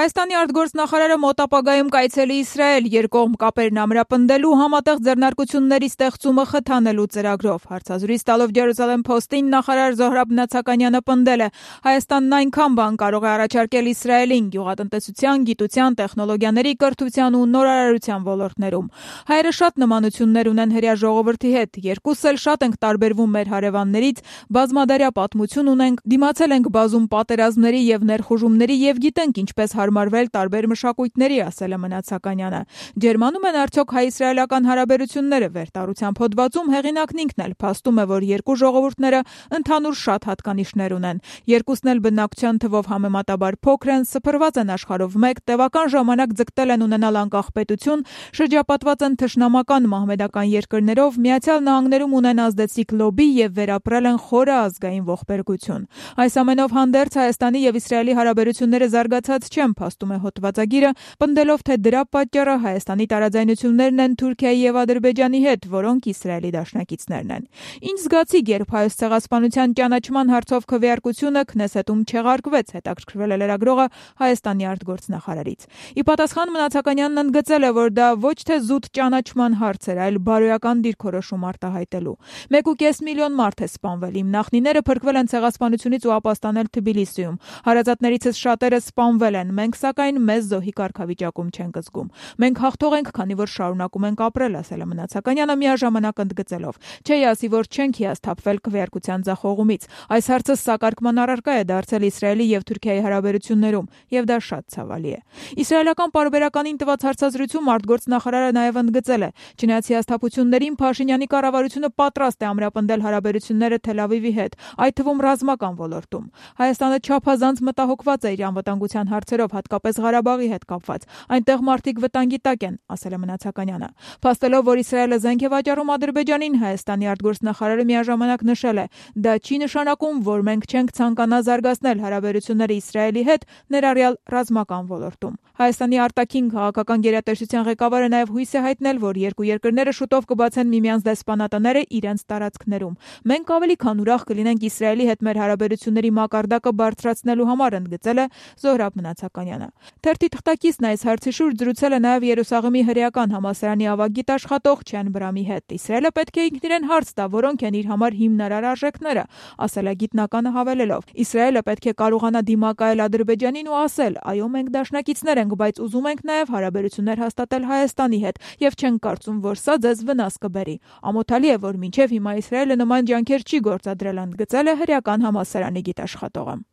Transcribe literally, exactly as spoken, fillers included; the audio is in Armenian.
Հայաստանի արտգործնախարարը մոտ ապագայում կայցելի Իսրայել երկկողմ կապերն ամրապնդելու համատեղ ձեռնարկությունների ստեղծումը խթանելու ծրագրով։ Հարցազրույց տալով Jerusalem Post-ին նախարար Զոհրաբ Նացականյանը պնդել է, Հայաստանն այնքան բան կարող է առաջարկել Իսրայելին գյուղատնտեսության, գիտության, տեխնոլոգիաների, կրթության ու նորարարության ոլորտներում։ Հայերը շատ նմանություններ ունեն հրեա ժողովրդի հետ, երկուսս էլ շատ ենք տարբերվում մեր հարևաններից, բազմադարյա պատմություն ունենք, դիմացել ենք բազում պատերազմների եւ ներխուժումների եւ գիտենք ինչպես հարմարվել տարբեր մշակույթների, ասել է Մնացականյանը։ Ջերմանում են արդյոք հայ-իսրայելական հարաբերությունները վերտառությամբ հոդվածում հեղինակն ինքն էլ փաստում է, որ երկու ժողովուրդները ընդհանուր շատ հատկանիշներ ունեն։ Երկուսն էլ բնակչության թվով համեմատաբար փոքր են, սփռված են աշխարհով մեկ, տևական ժամանակ ձգտել են ունենալ անկախ պետություն, շրջապատված են թշնամական մահմեդական երկրներով, Միացյալ Նահանգներում ունեն ազդեցիկ լոբի եւ վերապրել են խորը ազգային ողբերգություն։ Այս ամենով հանդերձ Հայաստանի եւ Իսրայելի հարաբերությունները զարգացած չեն, փաստում է հոդվածագիրը, պնդելով, թե դրա պատճառը Հայաստանի տարաձայնություններն են Թուրքիայի եւ Ադրբեջանի հետ, որոնք Իսրայելի դաշնակիցներն են։ Ինչ զգացիկ, երբ Հայոց ցեղասպանության ճանաչման հարցով քվեարկությունը Քնեսետում չեղարկվեց, հետաքրքրվել է լրագրողը Հայաստանի արտգործնախարարից։ Ի պատասխան Մնացականյանն ընդգծել է, որ դա ոչ թե զուտ ճանաչման հարց էր, այլ բարոյական դիրքորոշում արտահայտելու։ Մեկ ու կես միլիոն մարդ է սպանվել, իմ նախնիները փրկվել են ցեղասպանությունից ու ապաստանել Թբիլիսիում։ Հարազատներիցս շատերը սպանվել են, մենք սակայն մեզ զոհի կարգավիճակում չենք զգում։ Մենք հաղթող ենք, քանի որ շարունակում ենք ապրել, ասել է Մնացակanyանը միաժամանակ ընդգծելով. Չէի ասի, որ չենք հիասթափվել քվեարկության ձախողումից։ Այս հարցը սակարկման առարկա է դարձել Իսրայելի եւ Թուրքիայի հարաբերություններում, եւ դա շատ ցավալի է։ Իսրայելական պարբերականին տված հարցազրույցում արտգործնախարարը նաեւ ընդգծել է. Չնայած հիասթափություններին Փաշինյանի կառավարությունը պատրաստ է ամրապնդել հարաբերությունները Թել Ավիվի հետ, այդ թվում ռազմական ոլորտում։ Հայաստանը չափազանց մտահոգված է իր անվտանգության հարցերով, հատկապես Ղարաբաղի հետ կապված։ Այնտեղ մարդիկ վտանգի տակ են, ասել է Մնացակanyանը։ Փաստելով, որ Իսրայելը զենք է վաճառում Ադրբեջանին, Հայաստանի արտգործնախարարը միաժամանակ նշել է. դա չի նշանակում, որ մենք չենք ցանկանա զարգացնել հարաբերությունները Իսրայելի հետ, ներառյալ ռազմական ոլորտում։ Հայաստանի արտաքին քաղաքական գերատեսչության ղեկավարը նաև հույս է հայտնել, որ երկու երկրները շուտով կբացեն միմյանց դեսպանատները իրենց տարածքներում։ Մենք ավելի քան ուրախ կլինենք Իսրայելի հետ մեր հարաբերությունների մակարդակը բարձրացնելու համար, ընդգծել է Զոհրաբ Մնացակanyանը։ Թերթի թղթակիցն այս հարցի շուրջ զրուցել է նաև Երուսաղեմի հրեական համալսարանի ավագ գիտաշխատող Չեն Բրամի հետ։ Իսրայելը պետք է ինքն իրեն հարց տա, որոնք են իր համար հիմնարար արժեքները, ասել է գիտնականը հավելելով. Իսրայելը պետք է կարողանա դիմակայել Ադրբեջանին ու ասել. այո, մենք դաշնակիցներ ենք, բայց ուզում ենք նաև հարաբերություններ հաստատել Հայաստանի հետ եւ չենք կարծում, որ սա ձեզ վնաս կբերի։ Ամոթալի է, որ մինչեւ հիմա Իսրայելը նման ջանքեր չի գործադրել, ընդգծել է հրեական համալսարանի գիտաշխատողը։